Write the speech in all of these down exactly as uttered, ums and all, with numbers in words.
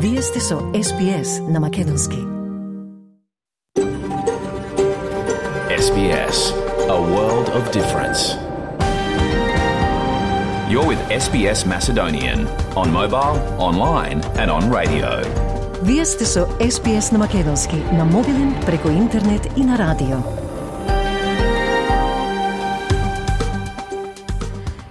Вие сте со Ес Би Ес на Македонски. Ес Би Ес, a world of difference. You're with Ес Би Ес Macedonian on mobile, online and on radio. Вие сте со Ес Би Ес на Македонски, на мобилен, преку интернет и на радио.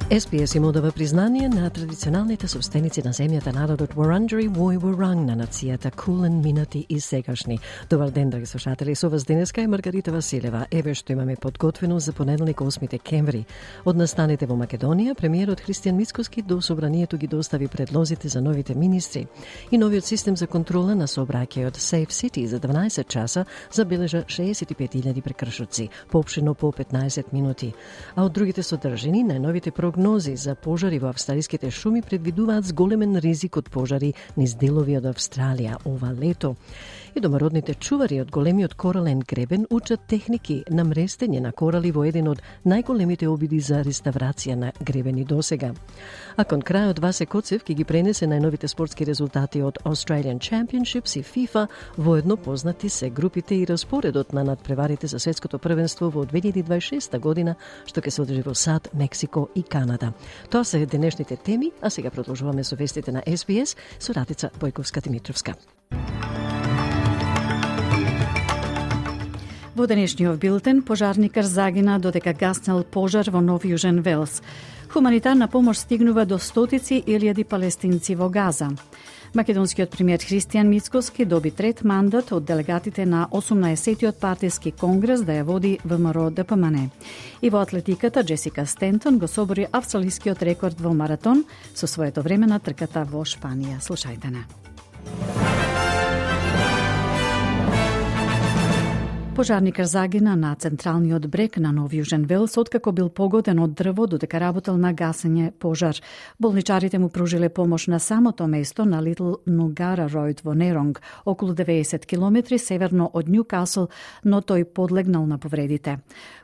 Ес Би Ес им одава признание на традиционалните собственици на земјата, народот Вуранџери Вој Вуранг, на нацијата Кулен, минати и сегашни. Добар ден, драги слушатели, со вас денеска е Маргарита Василева. Еве што имаме подготвено за понеделник осми декември. Од настаните во Македонија, премиерот Христијан Мицкоски до собранието ги достави предлозите за новите министри. И новиот систем за контрола на сообраќајот Safe City за дванаесет часа забележа шеесет и пет илјади прекршоци, поопштено по петнаесет минути. А од другите содржини, најновите прогнози за пожари во австралиските шуми предвидуваат зголемен ризик од пожари низ делови од Австралија ова лето. И домородните чувари од големиот корален гребен учат техники на мрестење на корали во еден од најголемите обиди за реставрација на гребени досега. А кон крајот Васе Коцев ќе ги пренесе најновите спортски резултати од Australian Championships и FIFA, воедно познати се групите и распоредот на надпреварите за светското првенство во две илјади дваесет и шеста година, што ќе се одржи во САД, Мексико и Канада. Тоа се денешните теми, а сега продолжуваме со вестите на Ес Би Ес со Радица Бојковска-Димитровска. Во денешниот билтен, пожарникар загина додека гаснел пожар во Нов Јужен Велс. Хуманитарна помош стигнува до стотици илјади палестинци во Газа. Македонскиот премиер Христијан Мицкоски доби трет мандат од делегатите на осумнаесеттиот партиски конгрес да ја води ВМРО Д П М Н. И во атлетиката Джесика Стентон го собори австралискиот рекорд во маратон со своето време на трката во Шпанија. Слушајте на. Пожарникар загина на централниот брег на Нов Јужен Велс откако бил погоден од дрво додека работел на гасење пожар. Болничарите му пружиле помош на самото место на Литл Нугара Ројд во Неронг, околу деветдесет километри северно од Њукасл, но тој подлегнал на повредите.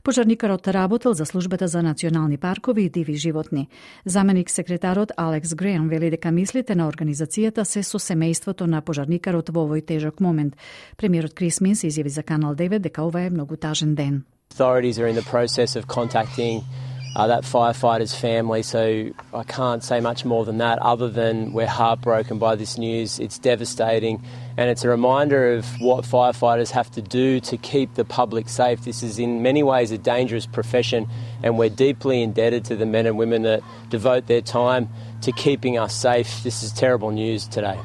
Пожарникарот работел за службата за национални паркови и диви животни. Заменик секретарот Алекс Греем вели дека мислите на организацијата се со семејството на пожарникарот во овој тежок момент. Премиерот Крис Минс изјави за Канал девет дека ова е многу тажен ден. Authorities are in the process of contacting uh, that firefighter's family, so I can't say much more than that other than we're heartbroken by this news. It's devastating and it's a reminder of what firefighters have to do to keep the public safe. This is in many ways a dangerous profession and we're deeply indebted to the men and women that devote their time to keeping us safe. This is terrible news today.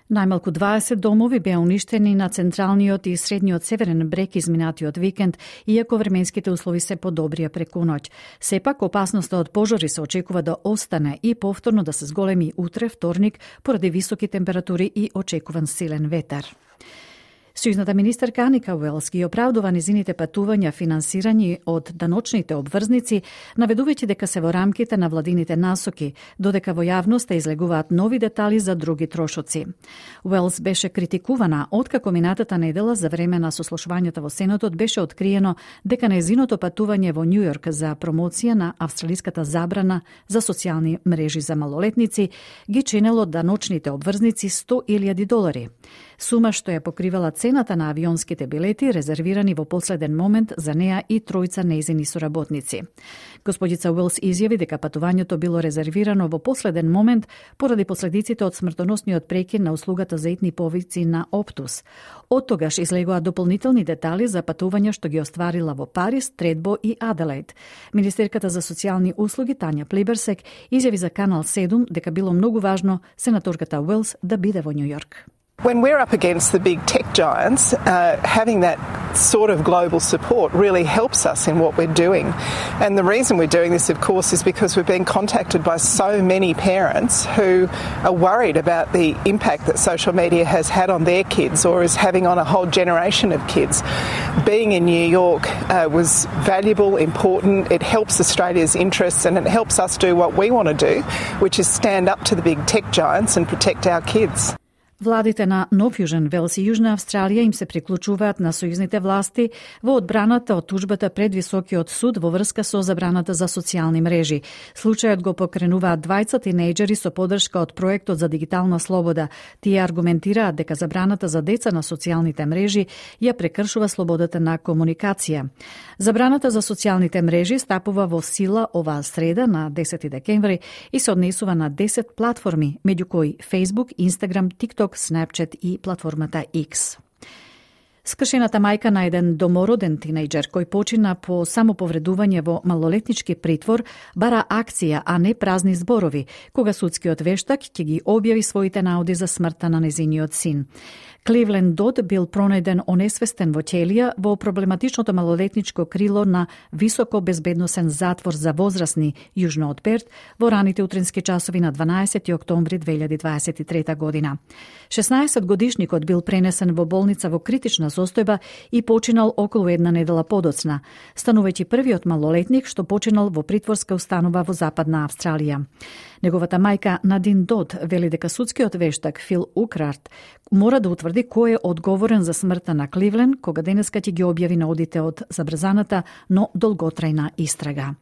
Најмалку дваесет домови беа уништени на централниот и средниот северен брег изминатиот викенд, иако временските услови се подобрија преку ноќ. Сепак, опасноста од пожари се очекува да остане и повторно да се зголеми утре, вторник, поради високи температури и очекуван силен ветер. Сојузната министерка Аника Уелс ги оправдува незините патувања финансирани од даночните обврзници, наведувајќи дека се во рамките на владините насоки, додека во јавноста излегуваат нови детали за други трошоци. Уелс беше критикувана откако минатата недела за време на сослушувањата во Сенатот беше откриено дека незиното патување во Њу Јорк за промоција на австралиската забрана за социјални мрежи за малолетници ги чинело даночните обврзници сто илјади долари. Сума што ја покривала цената на авионските билети резервирани во последен момент за неа и тројца нејзини соработници. Господица Уелс изјави дека патувањето било резервирано во последен момент поради последиците од смртоносниот прекин на услугата за итни повици на Оптус. Од тогаш излегоа дополнителни детали за патувања што ги остварила во Париз, Тредбо и Аделаид. Министерката за социјални услуги Тања Плиберсек изјави за Канал седум дека било многу важно сенаторката Уелс да биде во Њу Јорк. When we're up against the big tech giants, uh, having that sort of global support really helps us in what we're doing. And the reason we're doing this, of course, is because we've been contacted by so many parents who are worried about the impact that social media has had on their kids or is having on a whole generation of kids. Being in New York uh, was valuable, important. It helps Australia's interests and it helps us do what we want to do, which is stand up to the big tech giants and protect our kids. Владите на Нов Јужен Велс и Јужна Австралија им се приклучуваат на сојузните власти во одбраната од тужбата пред Високиот суд во врска со забраната за социјални мрежи. Случајот го покренуваат двајца тинејџери со поддршка од проектот за дигитална слобода. Тие аргументираат дека забраната за деца на социјалните мрежи ја прекршува слободата на комуникација. Забраната за социјалните мрежи стапува во сила оваа среда на десети декември и се однесува на десет платформи, меѓу кои Facebook, Instagram, TikTok, Snapchat и платформата X. Скршената мајка на еден домороден тинејџер кој почина по самоповредување во малолетнички притвор бара акција, а не празни зборови, кога судскиот вештак ќе ги објави своите наоди за смртта на незиниот син. Кливленд Дод бил пронајден онесвестен во ќелија во проблематичното малолетничко крило на високо безбедносен затвор за возрастни јужно од Перт во раните утрински часови на дванаесети октомври две илјади дваесет и трета година. шеснаесетгодишникот бил пренесен во болница во критична состојба и починал околу една недела подоцна, станувајќи првиот малолетник што починал во притворска установа во Западна Австралија. Неговата мајка Надин Дод вели дека судскиот вештак Фил Украрт мора да утврди кој е одговорен за смртта на Кливлен, кога денеска ќе ги објави наодите од забрзаната, но долготрајна истрага.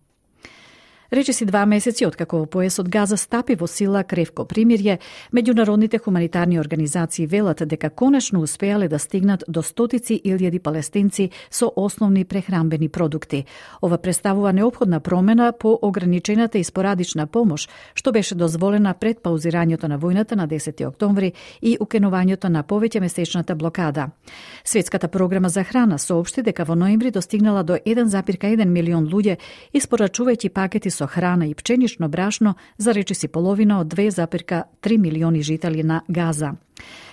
Речиси два месеци откако во поесот Газа стапи во сила кревко примирје, меѓународните хуманитарни организации велат дека конечно успеале да стигнат до стотици илјади палестинци со основни прехранбени продукти. Ова представува неопходна промена по ограничената и спорадична помош, што беше дозволена пред паузирањето на војната на десети октомври и укинувањето на повеќе месечната блокада. Светската програма за храна соопшти дека во ноември достигнала до еден зарез еден милион луѓе, испорачувајќи пакети со храна и пченично брашно за речиси половина од две зарез три милиони жители на Газа.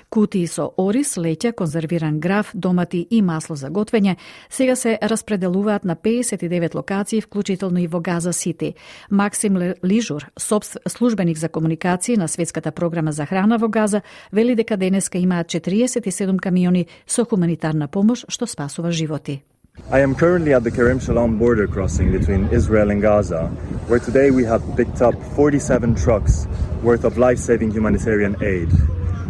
Кутии со ориз, леќа, конзервиран граф, домати и масло за готвење сега се распределуваат на пеесет и девет локации, вклучително и во Газа Сити. Максим Лижур, службеник за комуникација на Светската програма за храна во Газа, вели дека денеска имаат четириесет и седум камиони со хуманитарна помош што спасува животи. I am currently at the Karim Shalom border crossing between Israel and Gaza, where today we have picked up forty-seven trucks worth of life-saving humanitarian aid.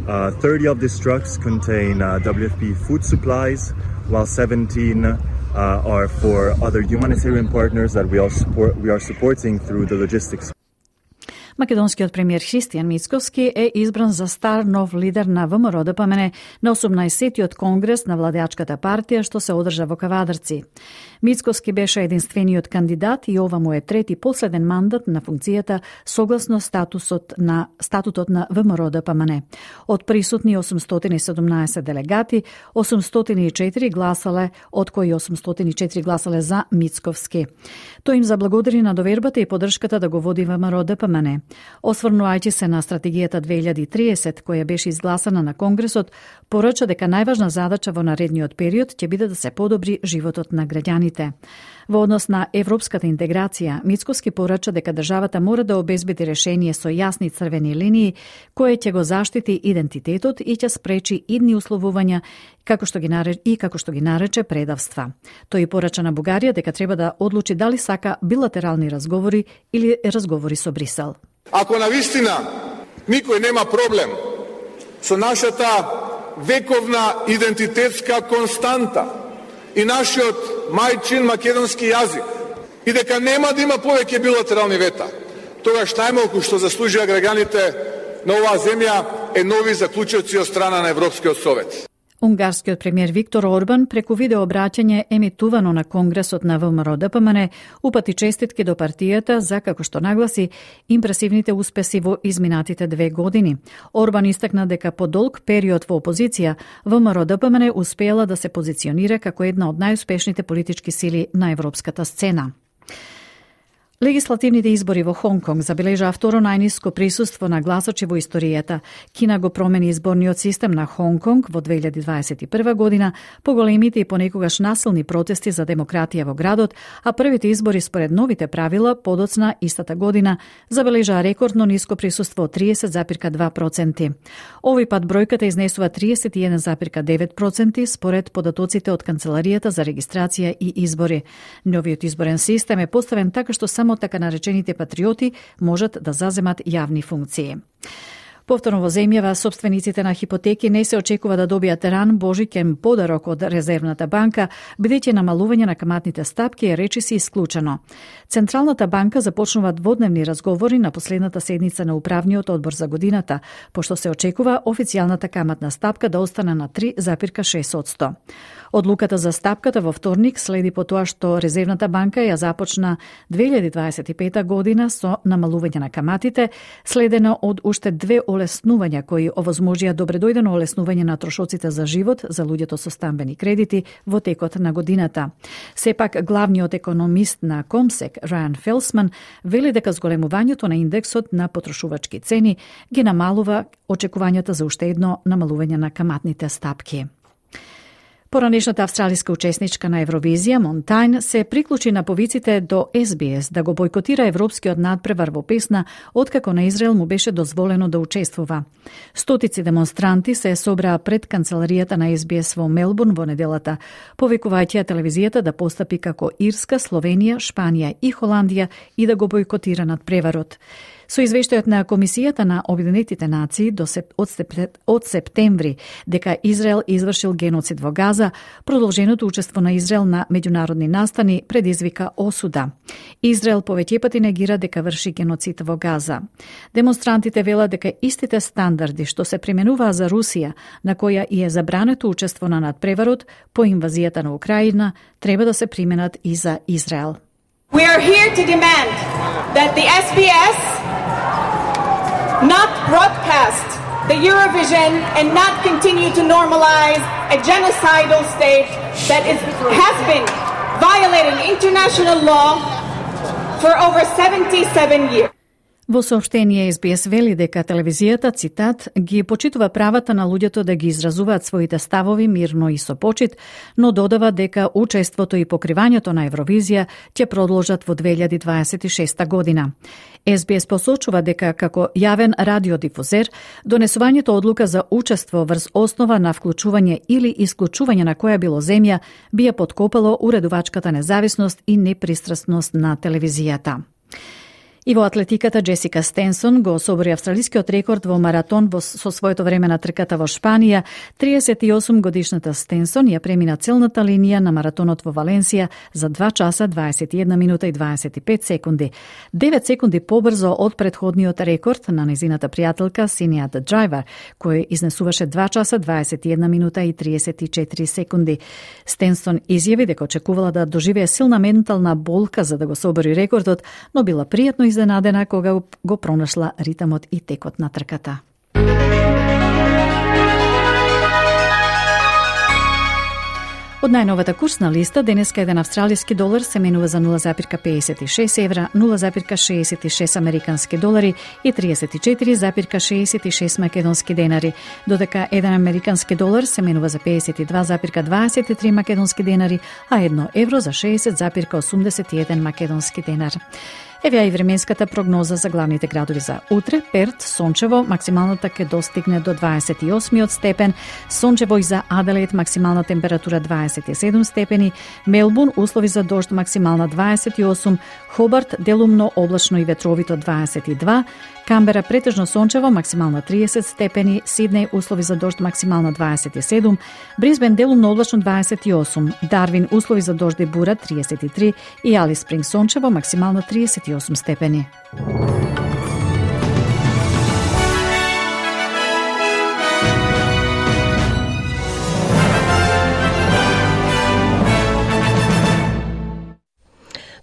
Uh, thirty of these trucks contain uh, W F P food supplies, while seventeen uh, are for other humanitarian partners that we are, support, we are supporting through the logistics. Македонскиот премиер Христијан Мицковски е избран за стар нов лидер на ВМРО ДПМН на осумнаесеттиот конгрес на владеачката партија што се одржа во Кавадарци. Мицковски беше единствениот кандидат и ова му е трети последен мандат на функцијата согласно статусот на статутот на ВМРО ДПМН. Од присутни осумстотини и седумнаесет делегати, осумстотини и четири гласале, од кои осумстотини и четири гласале за Мицковски. Тој им заблагодари на довербата и поддршката да го води ВМРО ДПМН. Осврнувајќи се на стратегијата две илјади и триесет, која беше изгласана на Конгресот, порача дека најважна задача во наредниот период ќе биде да се подобри животот на граѓаните. Во однос на европската интеграција, Мицковски порача дека државата мора да обезбеди решение со јасни црвени линии, кое ќе го заштити идентитетот и ќе спречи идни условувања како што ги нарече и како што ги нарече предавства. Тој порача на Бугарија дека треба да одлучи дали сака билатерални разговори или разговори со Брисел. Ако навистина никој нема проблем со нашата вековна идентитетска константа и нашиот мајчин македонски јазик и дека нема да има повеќе билатерални вета, тогаш најмалку што заслужија граѓаните на оваа земја е нови заклучоци од страна на Европскиот совет. Унгарскиот премиер Виктор Орбан преку видео обраќање емитувано на Конгресот на ВМРО ДПМН упати честитки до партијата за, како што нагласи, импресивните успеси во изминатите две години. Орбан истакна дека по долг период во опозиција ВМРО ДПМН успеела да се позиционира како една од најуспешните политички сили на европската сцена. Легислативните избори во Хонг Конг забележаа второ најниско присуство на гласачи во историјата. Кина го промени изборниот систем на Хонг Конг во две илјади дваесет и прва година по големите и понекогаш насилни протести за демократија во градот, а првите избори според новите правила подоцна истата година забележаа рекордно ниско присуство од триесет зарез два проценти. Овој пат бројката изнесува триесет и еден зарез девет проценти според податоците од Канцеларијата за регистрација и избори. Новиот изборен систем е поставен така што само така наречените патриоти можат да заземат јавни функции. Повторно во земјава, собствениците на хипотеки не се очекува да добијат ран божиќен подарок од Резервната банка, бидејќи намалување на каматните стапки е речиси исклучено. Централната банка започнува дводневни разговори на последната седница на управниот одбор за годината, пошто се очекува официјалната каматна стапка да остане на три запирка шест одсто. Одлуката за стапката во вторник следи по тоа што Резервната банка ја започна две илјади дваесет и пета година со намалување на каматите, следено од уште две олеснувања кои овозможија добредојдено олеснување на трошоците за живот за луѓето со стамбени кредити во текот на годината. Сепак, главниот економист на Комсек, Рајан Фелсман, вели дека зголемувањето на индексот на потрошувачки цени ги намалува очекувањата за уште едно намалување на каматните стапки. Поранешната австралиска учесничка на Евровизија, Монтајн, се приклучи на повиците до Ес Би Ес да го бойкотира европскиот надпревар во песна, откако на Израел му беше дозволено да учествува. Стотици демонстранти се собраа пред канцеларијата на Ес Би Ес во Мелбурн во неделата, повикувајќи телевизијата да постапи како Ирска, Словенија, Шпанија и Холандија и да го бойкотира надпреварот. Со извештајот на Комисијата на Обединетите нации до сеп, од, сеп, од септември дека Израел извршил геноцид во Газа, продолженото учество на Израел на меѓународни настани предизвика осуда. Израел повеќе пати негира дека врши геноцид во Газа. Демонстрантите велат дека истите стандарди што се применуваа за Русија, на која и е забрането учество на надпреварот по инвазијата на Украина, треба да се применат и за Израел. We are here to demand that the S B S not broadcast the Eurovision and not continue to normalize a genocidal state that is, has been violating international law for over seventy-seven years. Во соопштение Ес Би Ес вели дека телевизијата, цитат, ги почитува правата на луѓето да ги изразуваат своите ставови мирно и со почит, но додава дека учеството и покривањето на Евровизија ќе продолжат во две илјади дваесет и шеста година. Ес Би Ес посочува дека како јавен радиодифузер, донесувањето одлука за учество врз основа на вклучување или исклучување на која било земја би ја подкопало уредувачката независност и непристрасност на телевизијата. И во атлетиката Джесика Стенсон го особори австралискиот рекорд во маратон во, со своето време на трката во Шпанија. триесет и осум годишната Стенсон ја премина целната линија на маратонот во Валенсија за два часа дваесет и една минута и дваесет и пет секунди. девет секунди побрзо од претходниот рекорд на незината пријателка Синијат Драйвер, кој изнесуваше два часа дваесет и една минута и триесет и четири секунди. Стенсон изјави дека очекувала да доживее силна ментална болка за да го собори рекордот, но била пријатно изненадена кога го пронашла ритамот и текот на трката. Од најновата курсна листа, денеска еден австралиски долар се менува за нула запирка педесет и шест евра, нула запирка шеесет и шест американски долари и триесет и четири запирка шеесет и шест македонски денари, додека еден американски долар се менува за педесет и два запирка дваесет и три македонски денари, а едно евро за шеесет запирка осумдесет и еден македонски денар. Еве ја и временската прогноза за главните градови за утре. Перт, сончево, максималната ќе достигне до дваесет и осми степен, сончево и за Аделаид, максимална температура дваесет и седум степени, Мелбурн, услови за дожд, максимална дваесет и осум, Хобарт, делумно, облачно и ветровито дваесет и два, Камбера, претежно сончево, максимална триесет степени, Сиднеј, услови за дожд, максимална дваесет и седум, Брисбен, делумно, облачно дваесет и осум, Дарвин, услови за дожд и бура триесет и три и Алис Спринг, сончево, максимална триесет и осум степени.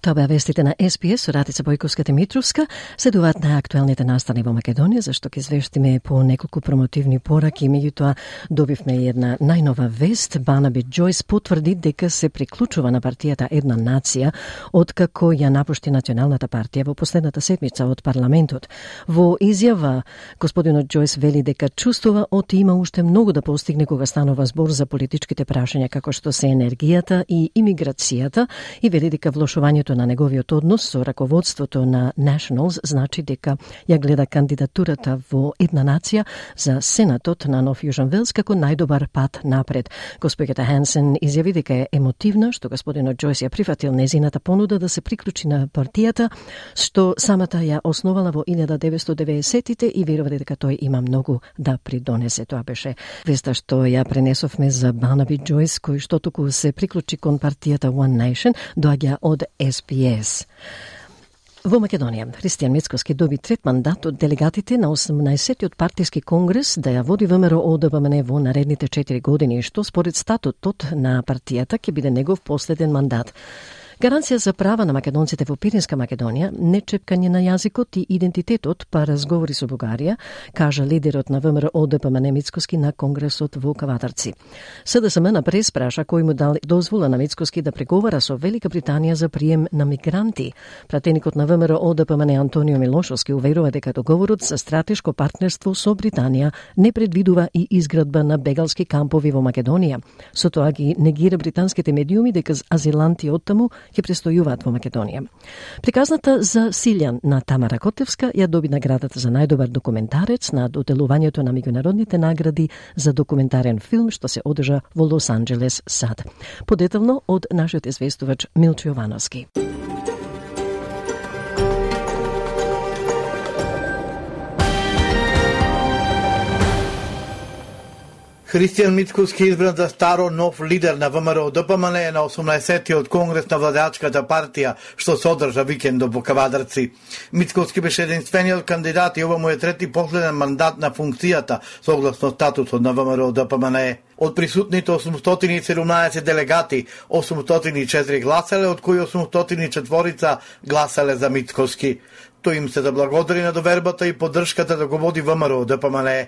Тоа беа вестите на Ес Би Ес со Радица Бојковска-Димитровска. Следуваат на актуелните настани во Македонија, зашто ќе извештиме по неколку промотивни пораки. Меѓутоа добивме и една најнова вест. Барнаби Џојс потврди дека се приклучува на партијата Една нација, откако ја напушти Националната партија во последната седмица од парламентот. Во изјава, господинот Џојс вели дека чувствува оти има уште многу да постигне кога станува збор за политичките прашања како што се енергијата и имиграцијата и вели дека влошувањето на неговиот однос со раководството на Nationals значи дека ја гледа кандидатурата во една нација за Сенатот на Нов Јужен Велс како најдобар пат напред. Госпоѓата Хансен изјави дека е емотивна што господинот Џојс ја прифатил незината понуда да се приклучи на партијата, што самата ја основала во илјада деветстотини и деветдесеттите и верува дека тој има многу да придонесе. Тоа беше веста што ја пренесовме за Барнаби Џојс, кој што току се приклучи кон партијата One Nation, доаѓа од Ес Би Ес. Во Македонија, Христијан Мицкоски доби трет мандат од делегатите на осумнаесеттиот партиски конгрес да ја води ВМРО О Д П М Н во наредните четири години, што според статутот на партијата ќе биде негов последен мандат. Гаранција за права на македонците во Пиринска Македонија, не чепкање на јазикот и идентитетот, па разговори со Бугарија, кажа лидерот на ВМРО О Д П М Н Мицкоски на Конгресот во Кавадарци. С Д С М на прес праша кој му дал дозвола на Мицкоски да преговара со Велика Британија за прием на мигранти. Пратеникот на ВМРО О Д П М Н Антонио Милошовски уверува дека договорот за стратешко партнерство со Британија не предвидува и изградба на бегалски кампови во Македонија. Со тоа ги негира британските медиуми дека азиланти оттаму ќе престојуваат во Македонија. Приказната за Силјан на Тамара Котевска ја доби наградата за најдобар документарец на доделувањето на меѓународните награди за документарен филм што се одржа во Лос Анџелес, САД. Подетелно од нашиот известувач Милчо Јовановски. Христијан Мицкоски избран за старо нов лидер на ВМРО Д П М Н на осумнаесеттиот конгрес на владачката партија, што се одржа викендот во Кавадарци. Мицкоски беше единствениот кандидат и ова му е трети последен мандат на функцијата, согласно статусот на ВМРО Д П М Н. Од присутните осумстотини и седумнаесет делегати, осумстотини и четири гласале, од кои осумстотини и четири гласале за Мицкоски. Тој им се заблагодари на довербата и поддршката да го води ВМРО Д П М Н.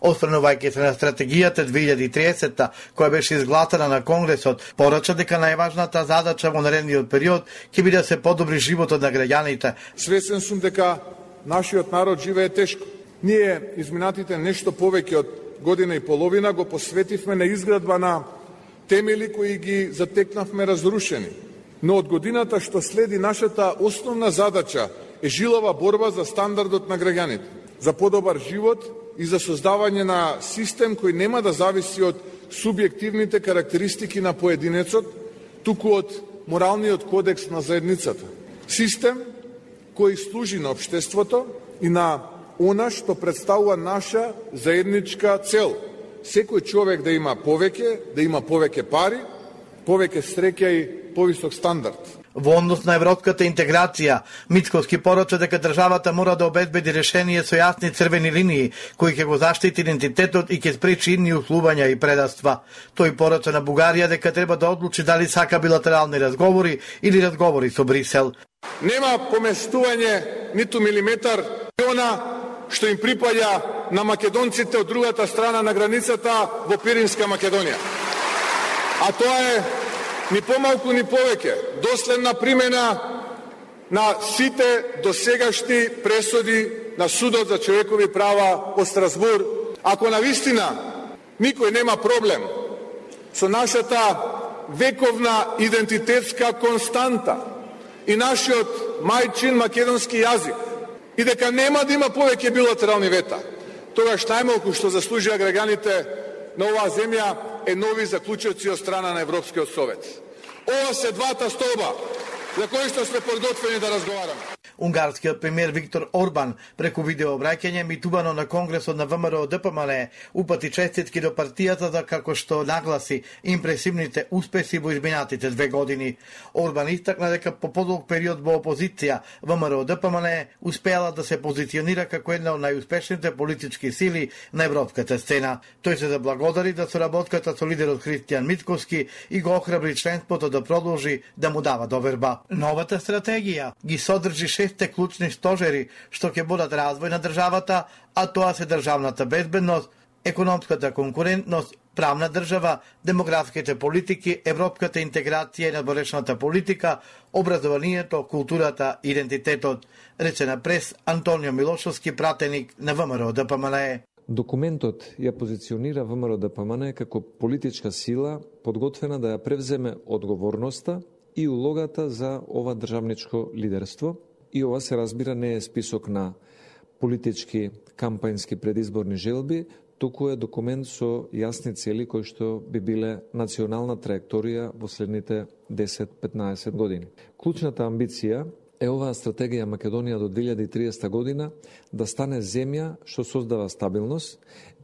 Осврнувајќи се на стратегијата две илјади и тридесета, која беше изгласана на Конгресот, порача дека најважната задача во наредниот период ќе биде да се подобри животот на граѓаните. Свесен сум дека нашиот народ живее тешко. Ние изминатите нешто повеќе од година и половина го посветивме на изградба на темели кои ги затекнавме разрушени. Но од годината што следи, нашата основна задача е жилава борба за стандардот на граѓаните, за подобар живот и за создавање на систем кој нема да зависи од субјективните карактеристики на поединецот, туку од моралниот кодекс на заедницата. Систем кој служи на општеството и на она што представува наша заедничка цел. Секој човек да има повеќе, да има повеќе пари, повеќе среќа и повисок стандард. Во однос на европската интеграција, Мицкоски порача дека државата мора да обезбеди решение со јасни црвени линии, кои ќе го заштити идентитетот и ќе спречи идни услувања и предаства. Тој порача на Бугарија дека треба да одлучи дали сака билатерални разговори или разговори со Брисел. Нема поместување ниту милиметар она што им припаѓа на македонците од другата страна на границата во Пиринска Македонија. А тоа е ни помалку ни повеќе доследна примена на сите досегашни пресуди на Судот за човекови права во Страсбур. Ако навистина никој нема проблем со нашата вековна идентитетска константа и нашиот мајчин македонски јазик и дека нема да има повеќе билатерални вета, тогаш најмалку што заслужија граѓаните на оваа земја е нови заклучоци од страна на Европскиот совет. Ова се двата столба за кои што сме подготвени да разговараме. Унгарскиот премиер Виктор Орбан преку видеообраќање митувано на Конгресот на ВМРО Д П М Н упати честитки до партијата за како што нагласи импресивните успеси во изминатите две години. Орбан истакна дека по подолг период во опозиција ВМРО Д П М Н успеала да се позиционира како една од најуспешните политички сили на европската сцена. Тој се заблагодари за соработката со лидерот Христијан Мицкоски и го охрабри членството да продолжи да му дава доверба. Новата стратегија ги содржи шесте клучни стожери што ќе бодат развој на државата, а тоа се државната безбедност, економската конкурентност, правна држава, демографските политики, европската интеграција и надворешната политика, образованието, културата, идентитетот, рече на прес Антонио Милошовски, пратеник на ВМРО Д П М Н. Документот ја позиционира ВМРО Д П М Н како политичка сила подготвена да ја превземе одговорноста и улогата за ова државничко лидерство. И ова се разбира не е список на политички, кампањски предизборни желби, туку е документ со јасни цели кои што би биле национална траекторија во следните десет до петнаесет години. Клучната амбиција е оваа стратегија Македонија до две илјади и триесета година да стане земја што создава стабилност,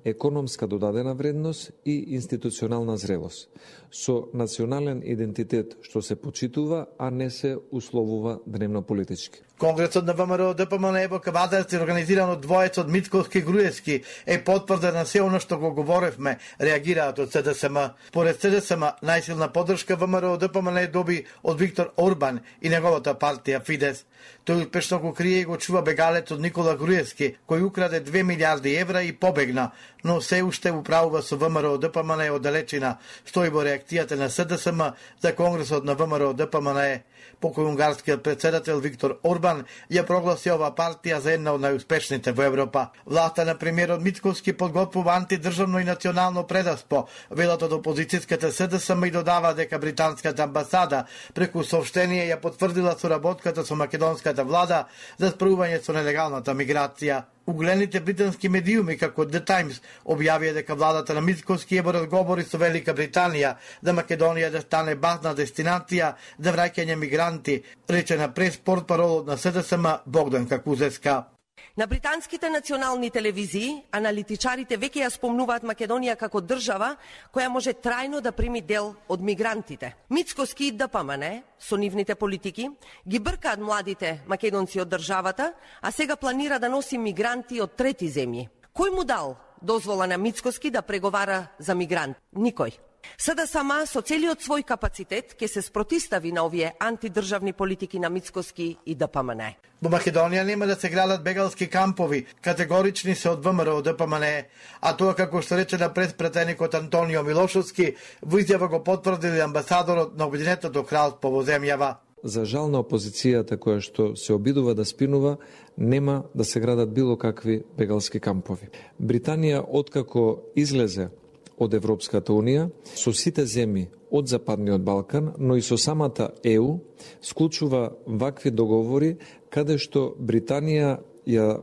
економска додадена вредност и институционална зрелост, со национален идентитет што се почитува, а не се условува дневно политички. Конгресот на ВМРО ДПМН во Кабадарци, организиран од двоецот Мицкоски и Груевски, е потврда на се оно што го говоревме, реагираат од СДСМ. Поред СДСМ, најсилна поддршка ВМРО ДПМН доби од Виктор Орбан и неговата партија Фидес. Тој успешно го крие и го чува бегалецот Никола Груевски, кој украде две милиарди евра и побегна, но се уште управува со ВМРО ДПМН од далечина, стои во реакцијата на СДСМ за Конгресот на ВМРО ДПМН. Покој унгарскиот председател Виктор Орбан ја прогласи оваа партија за една од најуспешните во Европа. Власта на премиерот Мицкоски подготвува антидржавно и национално предаспо. Велат од опозицијската СДСМ и додава дека британската амбасада преку соопштение ја потврдила соработката со македонската влада за справување со нелегалната миграција. Угледните британски медиуми, како The Times, објавија дека владата на Мицкоски е во разговори со Велика Британија да Македонија да стане базна дестинација за враќање мигранти, рече на прес-портпаролот на СДСМ Богдан Какузевска. На британските национални телевизии аналитичарите веќе ја спомнуваат Македонија како држава која може трајно да прими дел од мигрантите. Мицкоски и ДПМН со нивните политики ги бркаат младите македонци од државата, а сега планира да носи мигранти од трети земји. Кој му дал дозвола на Мицкоски да преговара за мигрант? Никој. СДСМ со целиот свој капацитет ќе се спротистави на овие антидржавни политики на Мицкоски и ДПМН. Во Македонија нема да се градат бегалски кампови, категорични се од ВМРО ДПМН, а тоа како што рече на преспретеникот Антонио Милошовски, во изјава го потврдили амбасадорот на Обединетото кралство во земјава. За жал на опозицијата која што се обидува да спинува, нема да се градат било какви бегалски кампови. Британија, откако излезе од Европската Унија, со сите земји од Западниот Балкан, но и со самата Е У, склучува вакви договори каде што Британија ја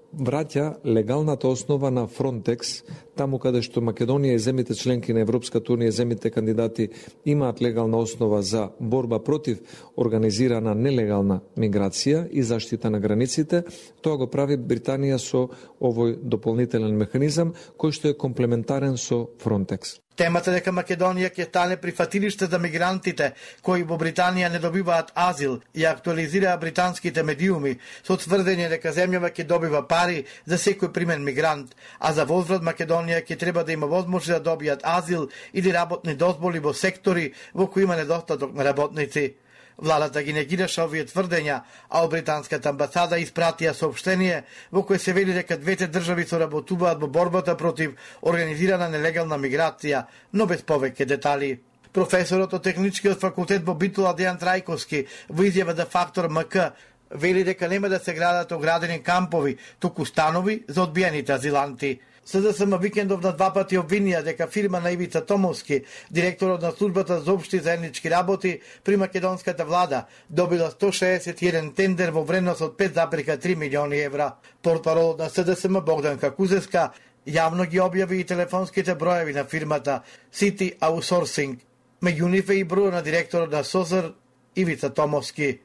враќа легалната основа на Фронтекс, таму каде што Македонија и земите членки на Европската Унија, земите кандидати имаат легална основа за борба против организирана нелегална миграција и заштита на границите, тоа го прави Британија со овој дополнителен механизам кој што е комплементарен со Фронтекс. Темата дека Македонија ќе стане прифатилиште за мигрантите кои во Британија не добиваат азил ја актуализираа британските медиуми со тврдење дека земјава ќе добива пари за секој примен мигрант, а за возврат Македонија ќе треба да има возможност да добијат азил или работни дозволи во сектори во кои има недостаток на работници. Владата ги негираше овие тврдења, а од британската амбасада испратија соопштение во кое се вели дека двете држави соработуваат во борбата против организирана нелегална миграција, но без повеќе детали. Професорот од Техничкиот факултет во Битола Дејан Трајковски во изјава за Фактор М К вели дека нема да се градат оградени кампови, туку станови за одбиените азиланти. СДСМ викендов на два пати обвинија дека фирма на Ивица Томовски, директорот на службата за општи заеднички работи при македонската влада, добила сто шеесет и еден тендер во вредност од пет зарез три милиони евра. Портпаролот на СДСМ Богдан Какузевска јавно ги објави и телефонските броеви на фирмата City Outsourcing. Меѓу нив е и број на директорот на СОЗР Ивица Томовски.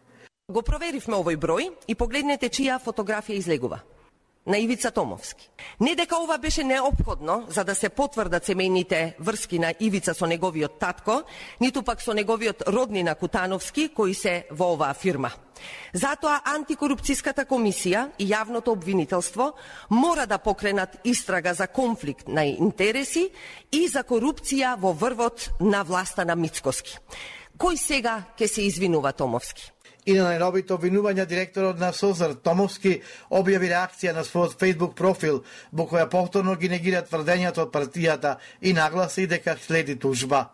Го проверивме овој број и погледнете чија фотографија излегува. На Ивица Томовски. Не дека ова беше неопходно за да се потврдат семејните врски на Ивица со неговиот татко, ниту пак со неговиот роднина Кутановски, кои се во оваа фирма. Затоа антикорупцијската комисија и јавното обвинителство мора да покренат истрага за конфликт на интереси и за корупција во врвот на власта на Мицкоски. Кој сега ќе се извинува Томовски? И на најновите обвинувања директорот на СОЗР Томовски објави реакција на својот Facebook профил, во која повторно ги негира тврдењата од партијата и нагласи дека следи тужба.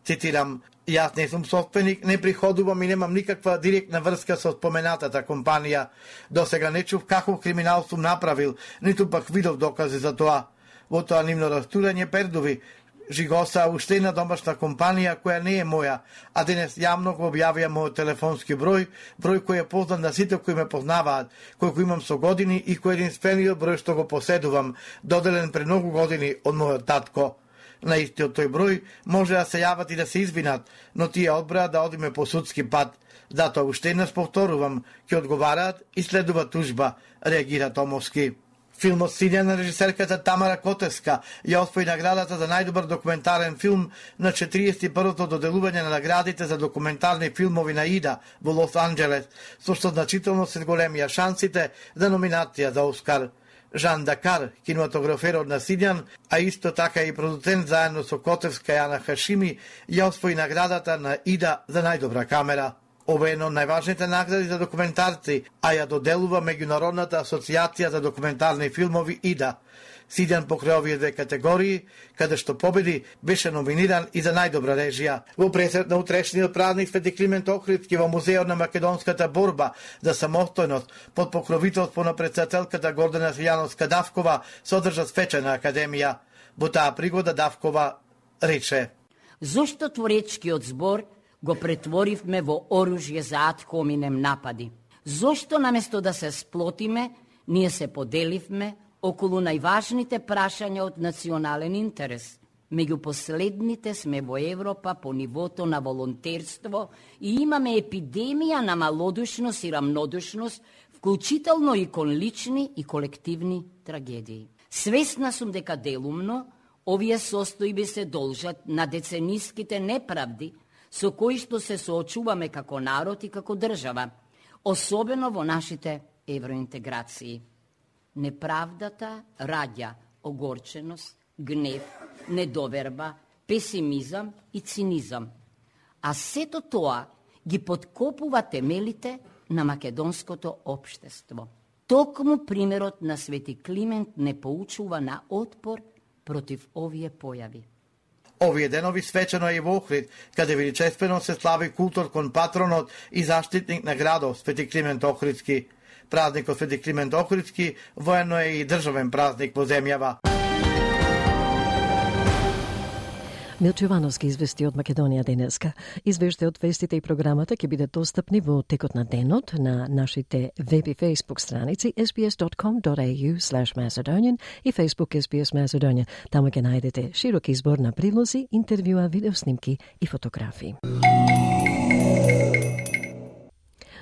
Цитирам: "Јас не сум собственик, не приходувам и немам никаква директна врска со споменатата компанија. До сега не чув каков криминал сум направил, ниту пак видов докази за тоа." Во тоа нивно растурање пердуви Жигоса уште една домашна компанија која не е моја, а денес јавно го објавија мојот телефонски број, број кој е познат на сите кои ме познаваат, кој го имам со години и кој е единствениот број што го поседувам, доделен пред многу години од мојот татко. На истиот тој број може да се јават и да се извинат, но тие одбраат да одиме по судски пат. Затоа уште еднаш повторувам, ќе одговараат и следува тужба, реагира Томовски. Филмот Сидја на режисерката Тамара Котевска ја освои наградата за најдобар документарен филм на четириесет и првото доделување на наградите за документарни филмови на ИДА во Лос Анџелес, со што значително се големија шансите за номинација за Оскар. Жан Дакар, кинематограферот на Сидјан, а исто така и продуцент заедно со Котевска и Ана Хашими, ја освои наградата на ИДА за најдобра камера. Ова е едно од најважните награди за документарци, а ја доделува Меѓународната асоциација за документарни филмови ИДА. Сидјан покрај овие две категории, каде што победи, беше номиниран и за најдобра режија. Во пресет на утрешниот празник Свети Климент Охридски во Музеот на македонската борба за самостојност под покровителство на претседателката Гордана Силјановска Давкова се одржа свечена академија. Во таа пригода Давкова рече: Зошто творечкиот збор го претворивме во оружје за ад хоминем напади? Зошто наместо да се сплотиме, ние се поделивме околу најважните прашања од национален интерес? Меѓу последните сме во Европа по нивото на волонтерство и имаме епидемија на малодушност и рамнодушност, вклучително и кон лични и колективни трагедии. Свесна сум дека делумно овие состојби се должат на децениските неправди со кои што се соочуваме како народ и како држава, особено во нашите евроинтеграции. Неправдата раѓа огорченост, гнев, недоверба, песимизам и цинизам. А сето тоа ги подкопува темелите на македонското општество. Токму примерот на Свети Климент не поучува на отпор против овие појави. Овие денови свечено е и во Охрид, каде величествено се слави култор кон патронот и заштитник на градот Свети Климент Охридски. Празникот Свети Климент Охридски воено е и државен празник во земјава. Милчо Јовановски извести од Македонија денеска. Извештајот, вестите и програмата ќе бидат достапни во текот на денот на нашите веб и фейсбук страници ес би ес dot com dot a u slash macedonian и Facebook ес би ес Macedonian. Таму ќе најдете широк избор на прилози, интервјуа, видеоснимки и фотографии.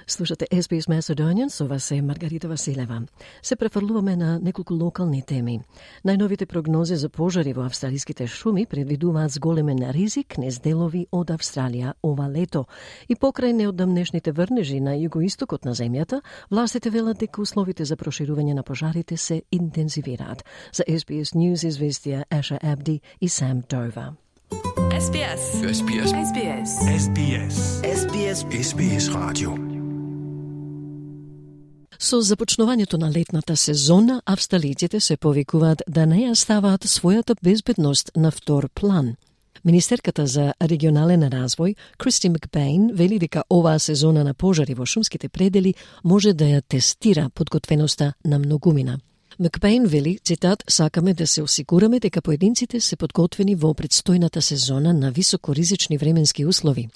Слушате ес би ес Macedonian, со вас е Маргарита Василева. Се префрлуваме на неколку локални теми. Најновите прогнози за пожари во австралиските шуми предвидуваат зголемен ризик низ делови од Австралија ова лето. И покрај неодамнешните врнежи на југоистокот на земјата, властите велат дека условите за проширување на пожарите се интензивираат. За ес би ес News известија Аша Абди и Сам Дова. ес би ес. ес би ес. ес би ес. ес би ес. ес би ес. ес би ес радио. Со започнувањето на летната сезона, австралиците се повикуваат да не ја ставаат својата безбедност на втор план. Министерката за регионален развој, Кристи Макбејн, вели дека оваа сезона на пожари во шумските предели може да ја тестира подготвеноста на многумина. Макбејн вели, цитат, сакаме да се осигураме дека поединците се подготвени во предстојната сезона на високоризични временски услови.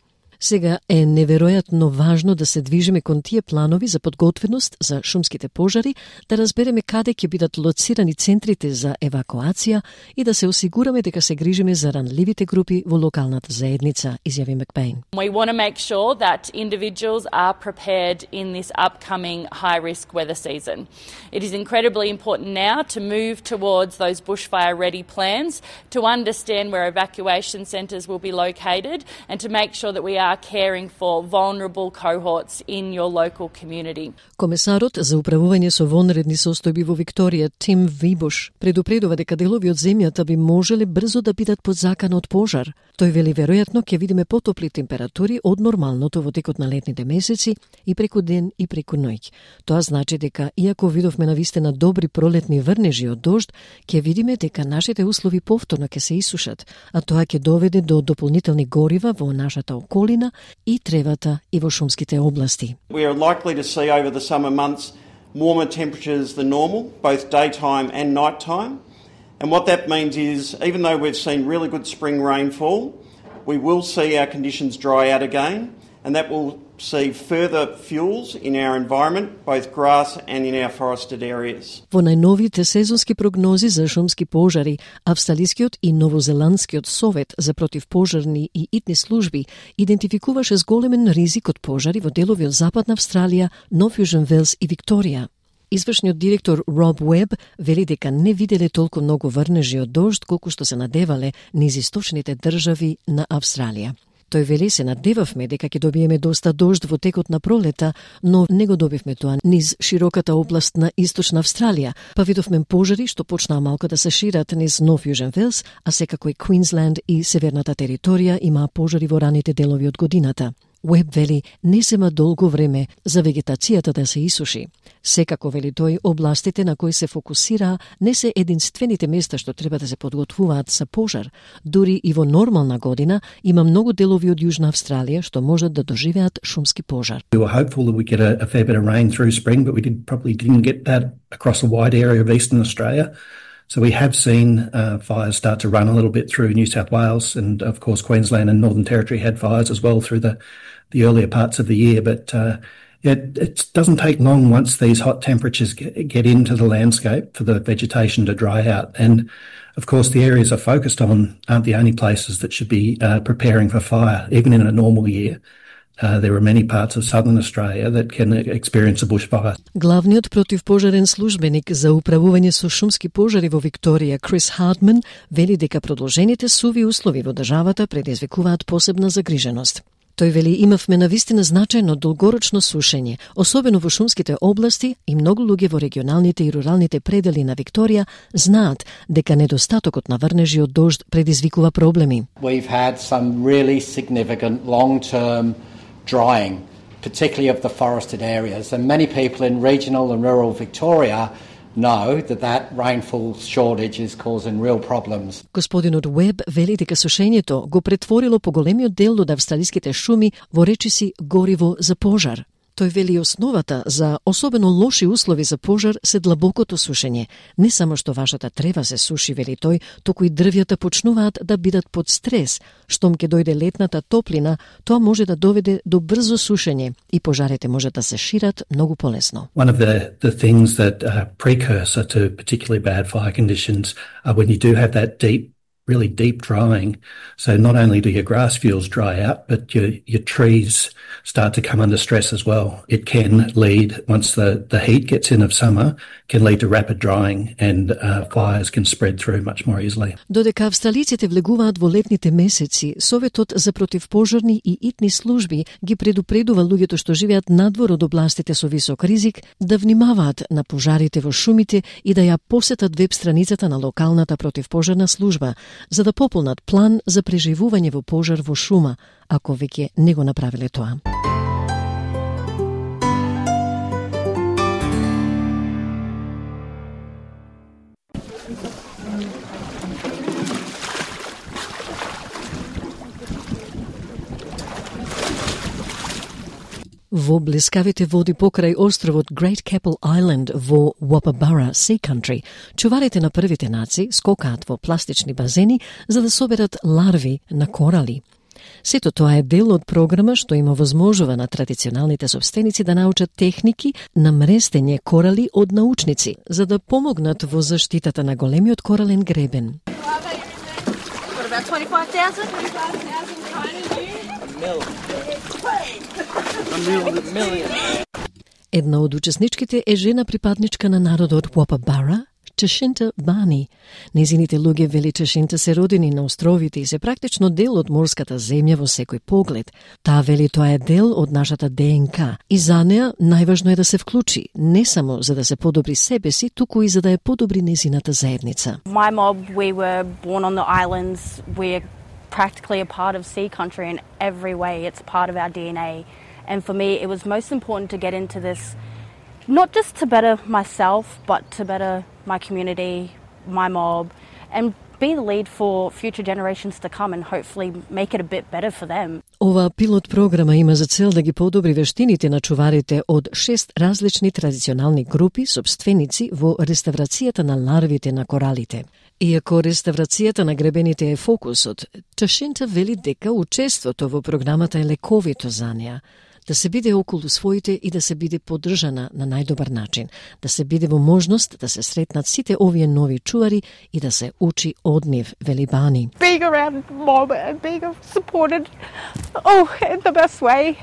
Сега е неверојатно важно да се движиме кон тие планови за подготвеност за шумските пожари, да разбереме каде ќе бидат лоцирани центрите за евакуација и да се осигураме дека се грижиме за ранливите групи во локалната заедница, изјави Макбејн. We want to make sure that individuals are prepared in this upcoming high-risk weather season. It is incredibly important now to move towards those bushfire-ready plans, to understand where evacuation centres will be located, and to make sure that we are caring for vulnerable cohorts in your local community. Комесарот за управување со вонредни состојби во Викторија, Тим Вибуш, предупредува дека делови од земјата би можеле брзо да бидат под закан од пожар. Тој вели веројатно ќе видиме потопли температури од нормалното во текот на летните месеци и преку ден и преку ноќ. Тоа значи дека иако видовме навистина добри пролетни врнежи од дожд, ќе видиме дека нашите услови повторно ќе се исушат, а тоа ќе доведе до дополнителни горива во нашата околина и тревата и во шумските области. We are likely to see over the summer months warmer temperatures than normal, both daytime and nighttime. And what that means is, even though we've seen really good spring rainfall, we will see our conditions dry out again, and that will see further fuels in our environment, both grass and in our forested areas. Во најновите сезонски прогнози за шумски пожари, Австралискиот и Новозеландскиот совет за противпожарни и итни служби идентификуваше зголемен ризик од пожари во делови од Западна Австралија, Нов Јужен Велс и Викторија. Извршниот директор Роб Уеб вели дека не виделе толку многу врнежи од дожд колку што се надевале низ источните држави на Австралија. Тој вели се надевавме дека ќе добиеме доста дожд во текот на пролета, но не го добивме тоа низ широката област на Источна Австралија, па видовме пожари што почнаа малку да се шират низ Нов Јужен Велс, а секако и Квинсленд и Северната територија имаа пожари во раните делови од годината. Уеб вели не зема долго време за вегетацијата да се исуши. Секако, вели тој, областите на кои се фокусира не се единствените места што треба да се подготвуваат за пожар. Дури и во нормална година има многу делови од Јужна Австралија што можат да доживеат шумски пожар. We were hopeful that we get a, a fair bit of rain through spring, but we did, probably didn't get that across a wide area of eastern Australia. So we have seen uh, fires start to run a little bit through New South Wales, and of course Queensland and Northern Territory had fires as well through the, the earlier parts of the year. But uh, it, it doesn't take long once these hot temperatures get, get into the landscape for the vegetation to dry out. And of course the areas are focused on aren't the only places that should be uh, preparing for fire, even in a normal year. Uh, there are many parts of southern Australia that can experience a bushfire. Главниот противпожарен службеник за управување со шумски пожари во Викторија, Крис Хартман, вели дека продолжените суви услови во државата предизвикуваат посебна загриженост. Тој вели имавме навистина значајно долгорочно сушење, особено во шумските области, и многу луѓе во регионалните и руралните предели на Викторија знаат дека недостатокот на врнежи од дожд предизвикува проблеми. We've had some really significant long-term drying, particularly of the forested areas. And many people in regional and rural Victoria know that that rainfall shortage is causing real problems. Господинот Уеб вели дека сушењето го претворило поголемиот дел од австралиските шуми во речиси гориво за пожар. Тој вели основата за особено лоши услови за пожар се длабокото сушење. Не само што вашата трева се суши, вели тој, туку и дрвјата почнуваат да бидат под стрес. Штом ќе дојде летната топлина, тоа може да доведе до брзо сушење и пожарите може да се шират многу полесно. One of the, the things that are precursor to particularly bad fire conditions are when you do have that deep really deep drying. So not only do your grass fields dry out, but your, your trees start to come under stress as well. It can lead, once the, the heat gets in of summer, can lead to rapid drying and uh, fires can spread through much more easily. Додека австралиците влегуваат во летните месеци, Советот за противпожарни и итни служби ги предупредува луѓето што живеат надвор од областите со висок ризик да внимаваат на пожарите во шумите и да ја посетат веб страницата на локалната противпожарна служба, за да пополнат план за преживување во пожар во шума, ако веќе не го направиле тоа. Во блескавите води покрај островот Great Keppel Island во Wapabara Sea Country, чуварите на првите нации скокаат во пластични базени за да соберат ларви на корали. Сето тоа е дел од програма што им овозможува на традиционалните собственици да научат техники на мрестење корали од научници, за да помогнат во заштитата на големиот корален гребен. Една од учесничките е жена припадничка на народот Wapabara, Чашинта Бани. Незините луѓе, вели Чашинта, се родени на островите и се практично дел од морската земја во секој поглед. Таа вели тоа е дел од нашата ДНК и за неа најважно е да се вклучи, не само за да се подобри себе си, туку и за да ја подобри незината заедница. My mob, we were born on the islands. We're practically a part of sea country in every way. It's part of our D N A. And for me, it was most important to get into this, not just to better myself, but to better my community, my mob, and be the lead for future generations to come and hopefully make it a bit better for them. Ова пилот програма има за цел да ги подобри вештините на чуварите од шест различни традиционални групи собственици во реставрацијата на ларвите на коралите. Иако реставрацијата на гребените е фокусот, Ташинта вели дека учеството во програмата е лековито за неа, да се биде околу своите и да се биде поддржана на најдобар начин, да се биде во можност да се сретнат сите овие нови чувари и да се учи од нив, вели Бани. Being around mom and being supported, oh, in the best way,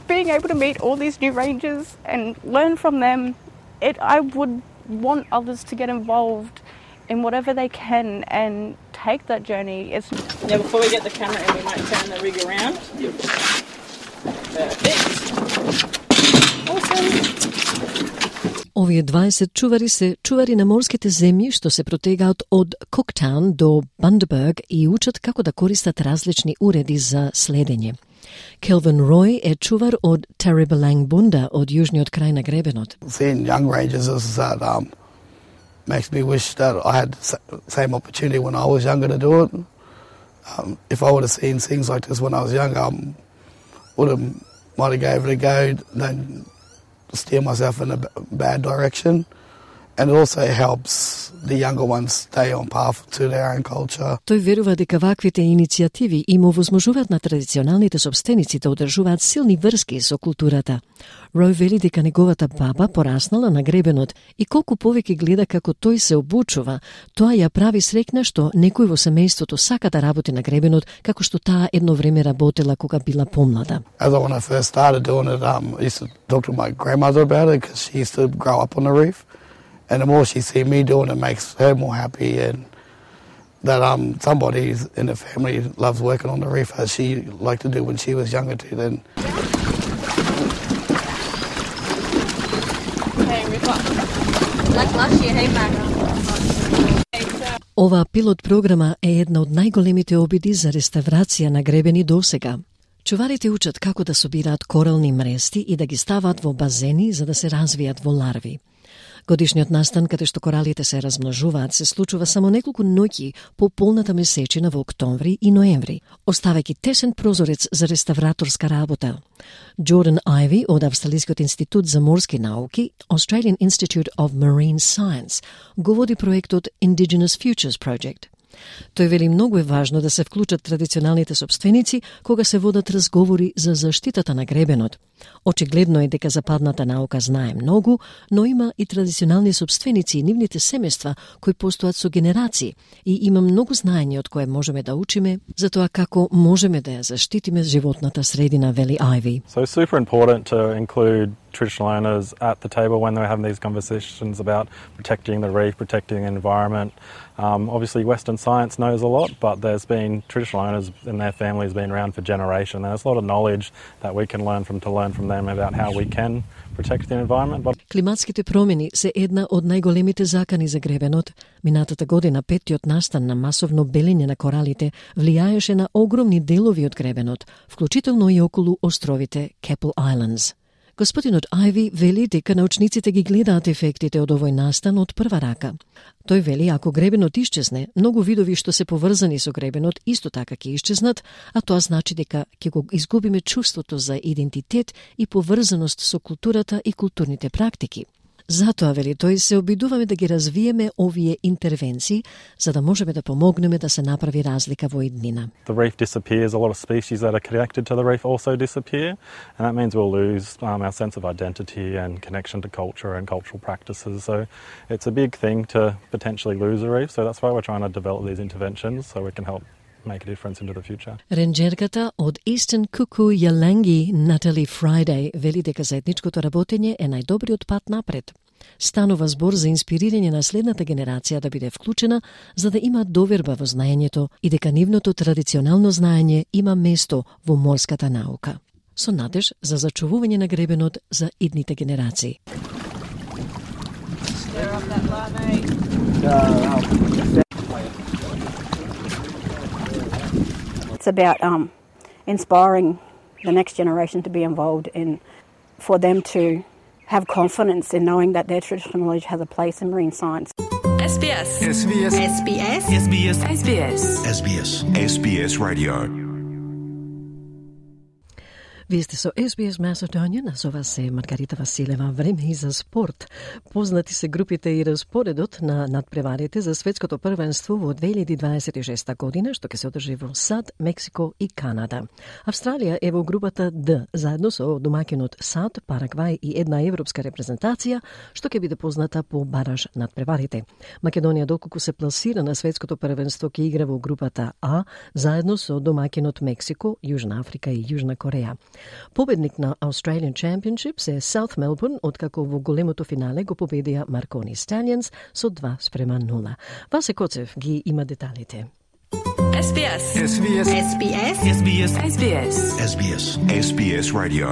being able to meet all these new rangers and learn from them, it, I would want others to get involved in whatever they can and take that journey. It's now before we get the camera in, we might turn the rig around. Perfect. Awesome. Овие дваесет чувари се чувари на морските земји што се протегаат од Коктаун до Bundaberg и учат како да користат различни уреди за следење. Келвин Рој е чувар од Teribellang Bunda од јужниот крај на гребенот. Seeing young rangers is that um, makes me wish that I had the same opportunity when I was younger to do it. Um, if I would have seen things like this when I was younger, I um, would have might have gave it a go, then steer myself in a bad direction. And it also helps the younger ones stay on path to their own culture. Тој верува дека ваквите иницијативи им овозможуваат на традиционалните собственици да одржуваат силни врски со културата. Рој вели дека неговата баба пораснала на гребенот и колку повеќе гледа како тој се обучува, тоа ја прави среќна што некој во семејството сака да работи на гребенот како што таа едно време работела кога била помлада. As I, when I first started doing it, um, I used to talk to my grandmother about it because she used to grow up on the reef. And the more she sees me doing it, makes her more happy, and that um somebody in the family loves working on the reef as she liked to do when she was younger too. Then. Ова пилот програма е една од најголемите обиди за реставрација на гребени досега. Чуварите учат како да собираат корални мрести и да ги ставаат во базени за да се развијат во ларви. Годишниот настан, каде што коралите се размножуваат, се случува само неколку ноќи по полната месечина во октомври и ноември, оставајќи тесен прозорец за реставраторска работа. Jordan Ivey од Австралискиот институт за морски науки, Australian Institute of Marine Science, го води проектот Indigenous Futures Project. Тој вели многу е важно да се вклучат традиционалните собственици кога се водат разговори за заштитата на гребенот. Очигледно е дека западната наука знае многу, но има и традиционални собственици и нивните семејства кои постојат со генерации и има многу знаење од кое можеме да учиме за тоа како можеме да ја заштитиме животната средина, вели Ivey. So it's super important to include traditional owners at the table when they're having these conversations about protecting the reef, protecting the environment. Um, obviously Western science knows a lot, but there's been traditional owners and their families been around for generations. There's a lot of knowledge that we can learn from to learn from them about how we can protect the environment. But... Климатските промени се една од најголемите закани за гребенот. Минатата година петтиот настан на масовно белење на коралите влијаеше на огромни делови од гребенот, вклучително и околу островите Keppel Islands. Господинот Ivey вели дека научниците ги гледаат ефектите од овој настан од прва рака. Тој вели ако гребенот исчезне, многу видови што се поврзани со гребенот исто така ќе исчезнат, а тоа значи дека ќе го изгубиме чувството за идентитет и поврзаност со културата и културните практики. Затоа, вели тој, се обидуваме да ги развиеме овие интервенции, за да можеме да помогнеме да се направи разлика во иднина. The reef disappears, a lot of species that are connected to the reef also disappear, and that means we'll lose um, our sense of identity and connection to culture and cultural practices. So it's a big thing to potentially lose a reef, so that's why we're trying to develop these interventions so we can help make a difference into the future. Ренџерката од Eastern Kuku Yalangi, Natalie Friday, вели дека заедничкото работење е најдобриот пат напред. Станува збор за инспирирање на следната генерација да биде вклучена, за да има доверба во знаењето и дека нивното традиционално знаење има место во морската наука. Со надеж за зачувување на гребенот за идните генерации. It's about um, inspiring the next generation to be involved in, for them to have confidence in knowing that their traditional knowledge has a place in marine science. S B S. S B S. S B S. S B S. S B S. S B S. S B S Radio. Вие сте со Ес Би Ес Macedonian, назова се Маргарита Василева. Време и за спорт. Познати се групите и распоредот на надпреварите за светското првенство во две илјади дваесет и шеста година, што ќе се одржи во САД, Мексико и Канада. Австралија е во групата Д, заедно со домаќинот САД, Парагвај и една европска репрезентација, што ќе биде позната по бараж надпреварите. Македонија, доколку се пласира на светското првенство, ќе игра во групата А, заедно со домаќинот Мексико, Јужна Африка и Јужна Кореја. Победник на Australian Championships е South Melbourne, откако во големото финале го победија Маркони Stallions со два спрема нула. Васе Коцев ги има деталите. Ес Би Ес. Ес Би Ес. Ес Би Ес. Ес Би Ес. Ес Би Ес. Ес Би Ес. Ес Би Ес Radio.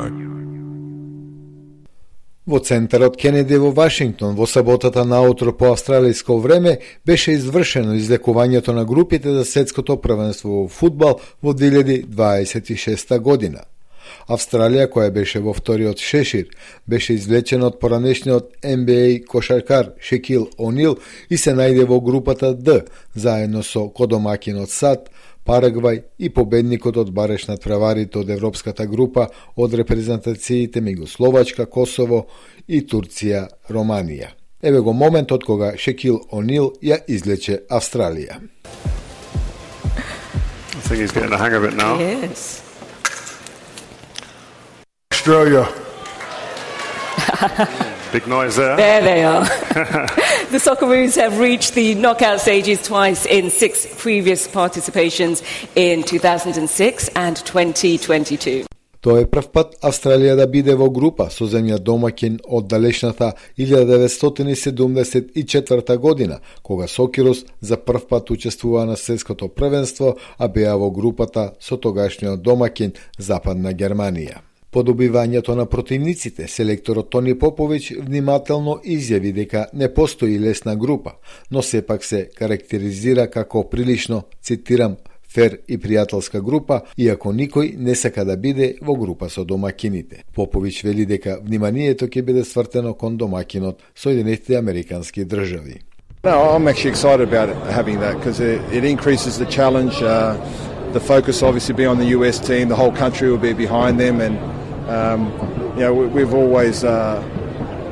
Во центарот Кенеди во Вашингтон во саботата наутро по австралиско време беше извршено излекувањето на групите за светското првенство во фудбал во две илјади дваесет и шеста година. Австралија, која беше во вториот шешир, беше извлечена од поранешниот Н Б А кошаркар Шекил О'Нил и се најде во групата Д, заедно со кодомакинот САД, Парагвај и победникот од бареш надпреварите од европската група од репрезентациите меѓу Словачка, Косово и Турција, Романија. Еве го моментот кога Шекил О'Нил ја излече Австралија. I think he's getting the hang of it now. Yes. Australia. Big noise there. There they are. The Socceroos have reached the knockout stages twice in six previous participations in two thousand six and twenty twenty-two. Тоа е прв пат Австралија да биде во група со земја домаќин од далечната илјада деветстотини седумдесет и четврта година, кога Сокерус за прв пат учествува на светското првенство, а беа во групата со тогашниот домаќин Западна Германија. По добивањето на противниците, селекторот Тони Поповиќ внимателно изјави дека не постои лесна група, но сепак се карактеризира како прилично, цитирам, фер и пријателска група, иако никој не сака да биде во група со домакините. Поповиќ вели дека вниманието ќе биде свртено кон домакинот Соединетите Американски држави. No, I'm actually excited about it, having that because it, it increases the challenge. Uh, the focus obviously be on the U S team. The whole country will be behind them, and um, you know we, we've always uh,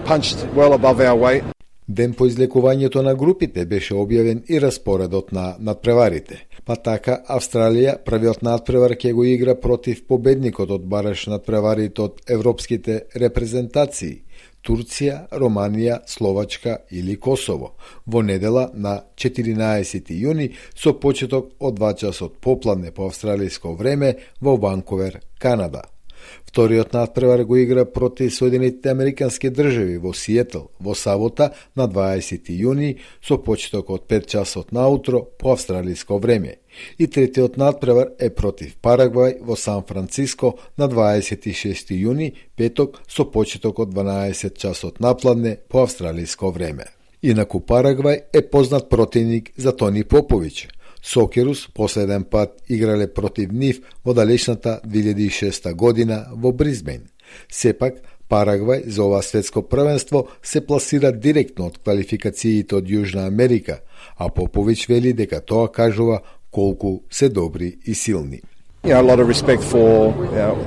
punched well above our weight. Ден по излекувањето на групите беше објавен и распоредот на надпреварите. Па така, Австралија првиот надпревар ќе го игра против победникот од бараш надпреварите од европските репрезентации Турција, Романија, Словачка или Косово во недела на четиринаесети јуни со почеток од два часот попладне по австралиско време во Ванкувер, Канада. Вториот надпревар го игра против Соединетите Американски држави во Сиетл во сабота на дваесети јуни со почеток од пет часот наутро по австралиско време. И третиот надпревар е против Парагвај во Сан Франциско на дваесет и шести јуни, петок, со почеток од дванаесет часот напладне по австралиско време. Инаку Парагвај е познат противник за Тони Поповиќ. Сокерус последен пат играле против нив во далечната две илјади и шеста година во Бризбен. Сепак, Парагвај за ова светско првенство се пласира директно од квалификациите од Јужна Америка, а Поповиќ вели дека тоа кажува колку се добри и силни. You know, a lot of respect for you know,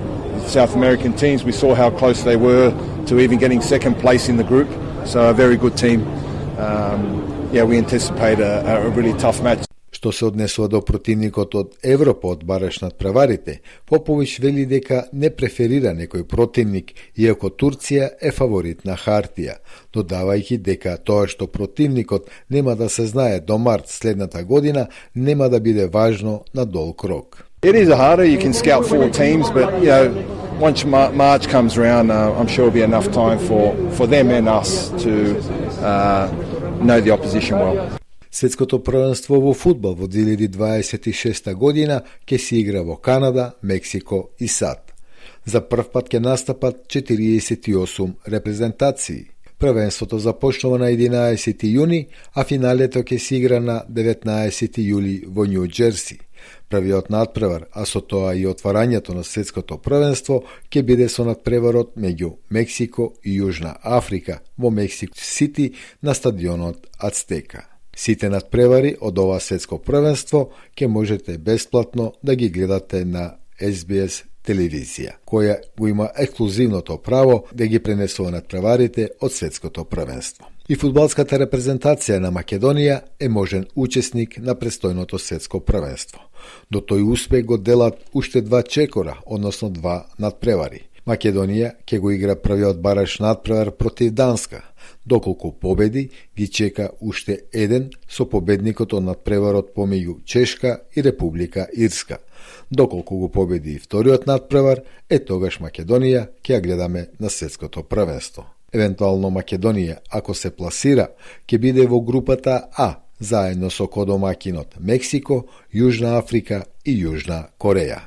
South American teams. We saw how close they were to even getting second place in the group. So a very good team. Um, yeah, we anticipate a, a really tough match. Што се однесува до противникот од Европа од бараш надпреварите, Поповиќ вели дека не преферира некој противник, иако Турција е фаворит на хартија, додавајќи дека тоа што противникот нема да се знае до март следната година, нема да биде важно на долг рок. It is a harder. You can scout four teams, but you know, once March comes around, uh, I'm sure there'll be enough time for, for them and us to uh, know the opposition well. Светското првенство во фудбал во две илјади дваесет и шеста година ќе се игра во Канада, Мексико и САД. За прв пат ќе настапат четириесет и осум репрезентации. Првенството започнува на единаесети јуни, а финалето ќе се игра на деветнаесети јули во Њу Џерси. Првиот надпревар, а со тоа и отварањето на светското првенство, ќе биде со надпреварот меѓу Мексико и Јужна Африка во Мексико Сити на стадионот Ацтека. Сите надпревари од ова светско првенство ќе можете бесплатно да ги гледате на Ес Би Ес телевизија, која го има ексклузивното право да ги пренесува надпреварите од светското првенство. И фудбалската репрезентација на Македонија е можен учесник на престојното светско првенство. До тој успех го делат уште два чекора, односно два надпревари. Македонија ќе го игра првиот бараш надпревар против Данска. Доколку победи, ги чека уште еден со победникот од надпреварот помеѓу Чешка и Република Ирска. Доколку го победи и вториот надпревар, е тогаш Македонија ќе ја гледаме на светското првенство. Евентуално Македонија, ако се пласира, ќе биде во групата А, заедно со кодомакинот Мексико, Јужна Африка и Јужна Кореја.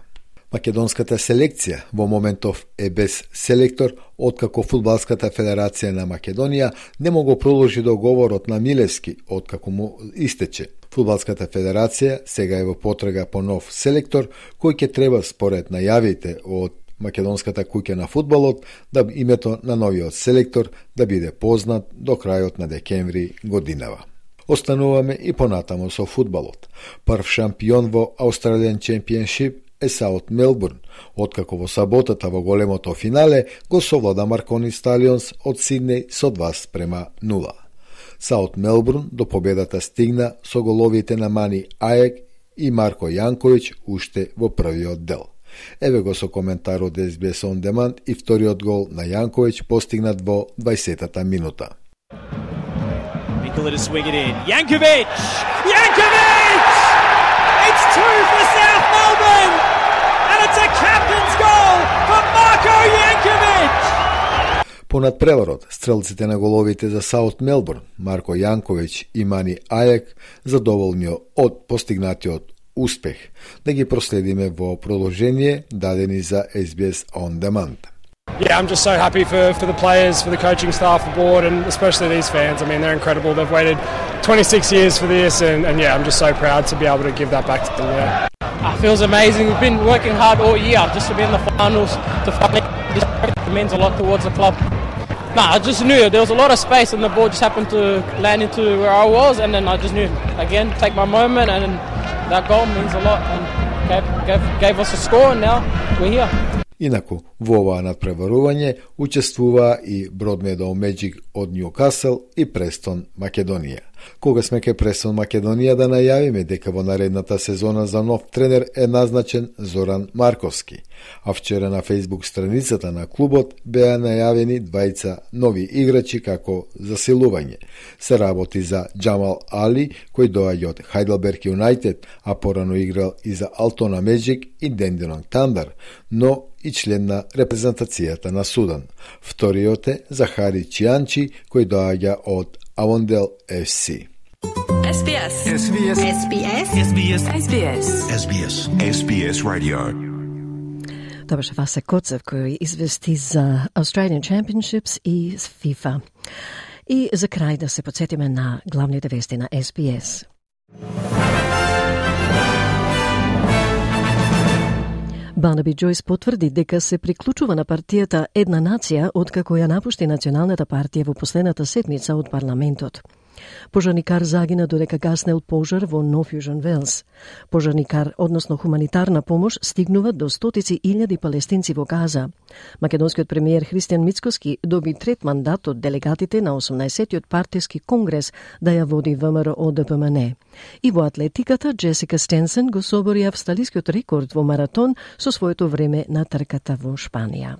Македонската селекција во моментов е без селектор, откако Фудбалската федерација на Македонија не могло продолжи договорот на Милевски, откако му истече. Фудбалската федерација сега е во потрага по нов селектор, кој ќе треба според најавите од Македонската куќа на фудбалот да името на новиот селектор да биде познат до крајот на декември годинава. Остануваме и понатамо со фудбалот. Прв шампион во Australian Championship е Саут Мелбурн, откако во саботата во големото финале го совлада Маркони Сталионс од Сиднеј со два спрема нула. Саут Мелбурн до победата стигна со головите на Мани Аек и Марко Јанковиќ уште во првиот дел. Еве го со коментар од Ес Би Ес On Demand и вториот гол на Јанковиќ постигнат во дваесетата минута. Nikola to swing it in. Jankovic! Jankovic! It's two for South Melbourne! And it's a captain's goal for Marko Jankovic! По надпреварот, стрелците на головите за Саут Мелбурн, Марко Јанковиќ и Мани Аек, задоволни од постигнатиот успех, да ги проследиме во продолжение дадени за Ес Би Ес On Demand. Yeah, I'm just so happy for, for the players, for the coaching staff, the board, and especially these fans. I mean, they're incredible. They've waited twenty-six years for this, and, and yeah, I'm just so proud to be able to give that back to them. Yeah. It feels amazing. We've been working hard all year just to be in the finals. To finally, it means a lot towards the club. Nah, I just knew there was a lot of space, and the ball just happened to land into where I was, and then I just knew again take my moment, and that goal means a lot, and gave, gave, gave us a score, and now we're here. Инаку, во оваа надпреварување учествуваа и Broadmeadow Magic од Ньюкасл и Престон Македонија. Кога сме ке Престон Македонија да најавиме дека во наредната сезона за нов тренер е назначен Зоран Марковски, а вчера на Facebook страницата на клубот беа најавени двајца нови играчи како засилување. Се работи за Джамал Али, кој доаѓа од Heidelberg United, а порано играл и за Altona Magic и Dandenong Thunder, но и член на репрезентацијата на Судан. Вториот е Захари Чијанчи, кој доаѓа од Avondale Еф Си. Ес Би Ес. Ес Би Ес. Ес Би Ес. Ес Би Ес. Ес Би Ес. Ес Би Ес. Ес Би Ес Radio. Тоа беше Васе Коцев кој извести за Australian Championships и FIFA. И за крај да се подсетиме на главните вести на Ес Би Ес. Барнаби Џојс потврди дека се приклучува на партијата Една нација откако ја напушти Националната партија во последната седмица од парламентот. Пожарникар загина додека гаснел пожар во Нов Јужен Велс. Пожарникар, односно хуманитарна помош, стигнува до стотици илјади палестинци во Газа. Македонскиот премиер Христијан Мицкоски доби трет мандат од делегатите на осумнаесеттиот партиски конгрес да ја води Вэ Ем Р О Д П М Н. И во атлетиката Джесика Стенсен го собори австралискиот рекорд во маратон со своето време на трката во Шпанија.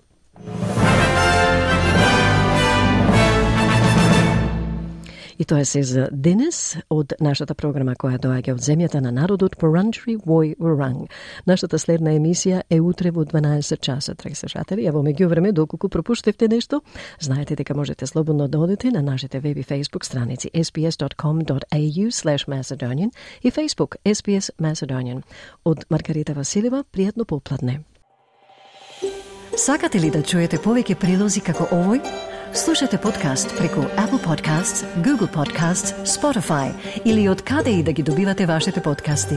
И тоа е се за денес од нашата програма која доаѓа од земјата на народот Wurundjeri Woi Wurrung. Нашата следна емисија е утре во дванаесет часа, драги слушатели. А во меѓувреме, доколку пропуштевте нешто, знаете дека можете слободно да одите на нашите веб и фейсбук страници ес би ес dot com dot a u slash macedonian и Facebook Ес Би Ес Macedonian. Од Маргарита Василева, пријатно попладне. Сакате ли да чуете повеќе прилози како овој? Слушате подкаст преку Apple Podcasts, Google Podcasts, Spotify или од каде и да ги добивате вашите подкасти.